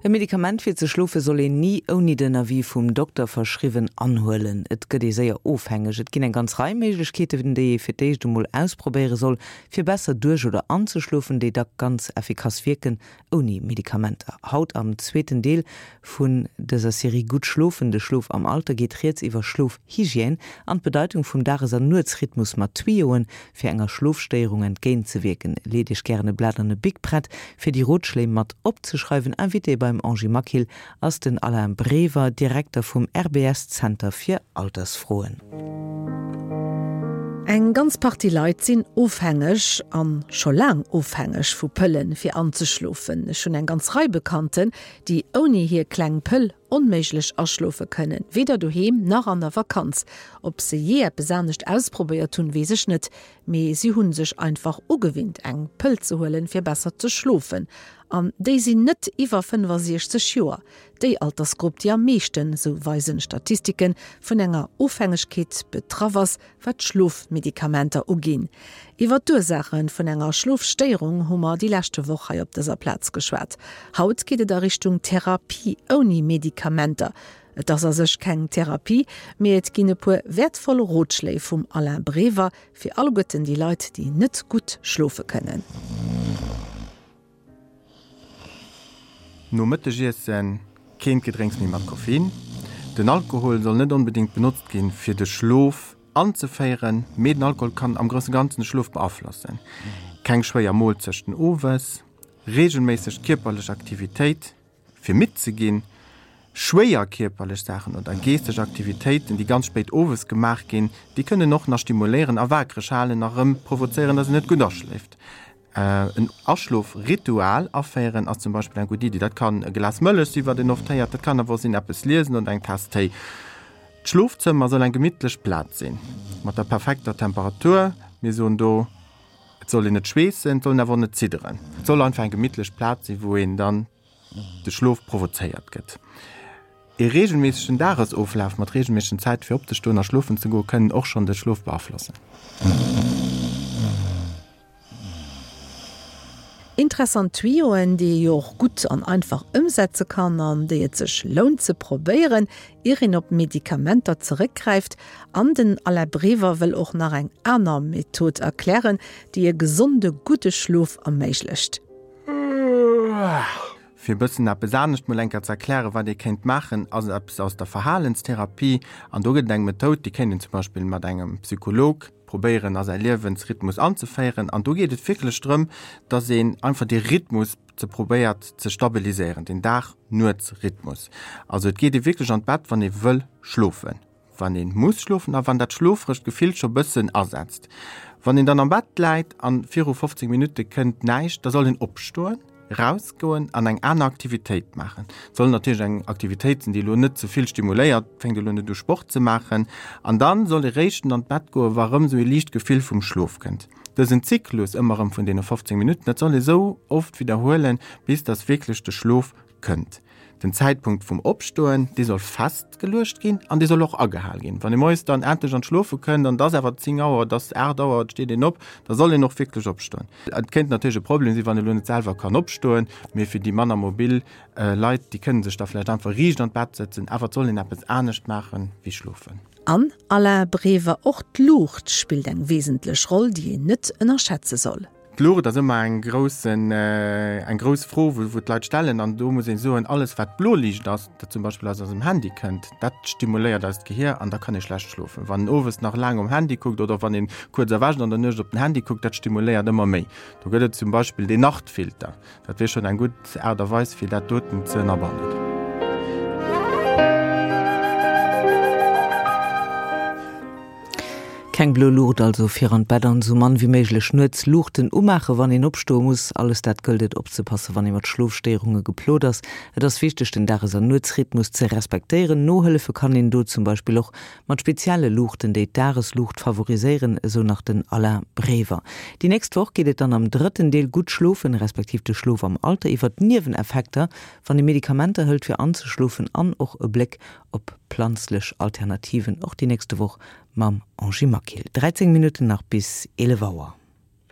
E Medikament fir ze schlofe soll een ni ouni den Avis vum Dokter verschriwwen anhuelen. Et gëtt ee séier ofhängeg. Et ginn eng ganz Rei Méiglechkeeten, déi ee fir d'éischt emol ausprobéiere soll, fir besser duerch oder anzeschlofen, déi dack ganz effikass wierken, ouni Medikamenter. Haut am zweeten Deel vun dëser Serie Gutt schlofen, de Schlof am Alter geet rieds iwwer Schlofhygiène an d'Bedeitung vum Dages an Nuetsrhythmus mat Tuyauxen Fir enger Schlofstéierung entgéint ze wierken, leet Iech gären e Blat an e Bic prett, fir déi Rotschléi mat opzeschreiwen. Invité beim Angie Maquil ass den Alain Brever, Direkter vum RBS Zenter fir Altersfroen. Eng ganz Partie Leit sinn ofhängeg, an scho laang ofhängeg vu Pëllen, fir anzeschlofen. Ech hunn eng ganz Rei Bekannten, déi ouni hir kleng Pëll onméiglech aschlofe kënnen, weder doheem nach an der Vakanz. Ob se jee eppes anescht ausprobéiert hunn, weess ech net, mee si hunn sech einfach ugewinnt eng Pëll ze huelen, fir besser ze schlofen. An déi sinn net iwwer 65 Joer, déi Altersgrupp, déi am meeschten, sou weisen Statistiken, vun enger Ofhängegkeet betraff ass, wat d'Schlofmedikamenter uginn. Iwwer d'Ursaache vun enger Schlofstéierung hu mer déi leschte Woch hei op dëser Plaz geschwat. Haut geet et a Richtung Therapie ouni Medikamenter. Et ass a sech keng Therapie, mee et ginn e puer wäertvoll Rotschléi vum Alain Brever fir alleguerten déi Leit, déi net gutt schlofe kënnen. Nom Mëttegiessen keent Gedrénks méi mat Koffein. Den Alkohol soll net onbedéngt benotzt ginn, fir de Schlof anzeféieren, mee den Alkohol kann am grousse Ganzen de Schlof beaflossen. Keng schwéier Moolzechten owes, reegelméisseg kierperlech Aktivitéit fir midd ze ginn, schwéier kierperlech Saachen oder geeschteg Aktivitéiten, déi ganz spéit owes gemaach ginn, déi kënnen och nach stimuléieren a waakreg halen a rëm provozéieren, dass een net gutt aschléift. En Aschlofritual aféieren ass zum Beispill eng gutt Iddi. Dat kann e Glas Mëllech sinn, wat een oft héiert, dat kann awer och sinn eppes liesen oder eng Taass Téi. D'Schlofzëmmer soll eng gemittlech Plaz sinn, mat der perfekter Temperatur. Mir soen do, et soll een net schweessen, et soll een awer och net zidderen. Et soll einfach eng gemittlech Plaz sinn, wou een dann de Schlof provozéiert gëtt. Ee reegelméissegen Dagesoflaf mat reegelméissegen Zäite fir opzestoen a schlofen ze goen, kënnen och schonn de Schlof beaflossen. Interessant Tuyauxen, déi ee jo och gutt an einfach ëmsetze kann an déi et sech lount ze probéieren, ier een op Medikamenter zeréckgräift. An den Alain Brever wëll och nach eng aner Method erklären, déi e gesonde gudde Schlof erméiglecht. Fir e bëssen eppes anescht mol eng Kéier ze erklären, wat ee kéint maachen, ass eppes aus der Verhalenstherapie. An do gëtt et eng Methoud, déi kéint een zum Beispill mat engem Psycholog probéieren a säi Liewensrhythmus anzeféieren. An do geet et wierklech drëm, dass een einfach dee Rhythmus ze probéiert ze stabiliséieren, den Dag-Nuets-Rhythmus. Also et geet ee wierklech an d'Bett, wann ee wëll schlofen, wann ee muss schlofen a wann dat schlofregt Gefill scho bëssen asetzt. Wann een dann am Bett läit a viru 15 Minutte kënnt näischt, da soll een opstoen. Rausgoen an eng aner Aktivitéit maachen. Et soll natierlech eng Aktivitéit sinn, déi elo net ze vill stimuléiert, fänkt elo net u Sport ze maachen. An dann soll ee réischten an d'Bett goen, wa rëm esou ee liicht Gefill vum Schlof kënnt. Dësen Zyklus ëmmer rëm vun deene 15 Minutten, dat soll ee sou oft widderhuelen, bis dass wierklech de Schlof kënnt. Den Zäitpunkt vum Opstoen, dee soll festgeluecht ginn an dee soll och agehal ginn. Wann ee moies dann endlech an d'Schlofe kënnt an et ass awer 10 Auer, et ass 8 Auer, et steet een op, da soll een och wierklech opstoen. Et kéint natierlech e Problem sinn, wann ee lo net selwer kann opstoen, mee fir déi manner mobil Leit, déi kënne sech da vläicht einfach riicht an d'Bett sëtzen, awer et soll een eppes anescht maache wéi schlofen. An, Alain Brever, och d'Luucht spillt eng wesentlech Roll, déi een net ënnerschätze soll. D'Luucht ass ëmmer eng groussen, eng grouss Fro, wou d'Leit stellen. An do muss een soen, alles wat Bloliicht ass, dat zum Beispill aus eisem Handy kënnt, dat stimuléiert eist Gehier an da kann ee schlecht schlofen. Wann een owes nach laang um Handy kuckt oder wann een kuerz erwächt an der Nuecht op den Handy kuckt, dat stimuléiert ëmmer méi. Do gëtt et zum Beispill deen Nachtfilter. Dat wier schonn eng gutt Aart a Weis, fir dat doten ze ënnerbannen. Keng blo Luucht also fir an d'Bett an esou mann wéi méiglech nuets Luuchten umaachen, wann een opstoe muss. Alles dat gëllt et opzepassen, wann ee mat Schlofstéierunge geplot ass. Et ass wichteg, den Dages an Nuetsrhythmus ze respektéieren. Nohëllefe kann een do zum Beispill och mat spezielle Luuchten, déi d'Dagesluucht favoriséieren, esou nach den Alain Brever. Déi nächst Woch geet et dann am drëtten Deel Gutt schlofen, respektiv de Schlof am Alter iwwer d'Nieweneffekter, wann ee Medikamenter hëlt fir anzeschlofen an och e Bléck op planzlech Alternativen, och déi nächste Woch mam Angie Maquil. 13 Minutten nach bis 11 Auer.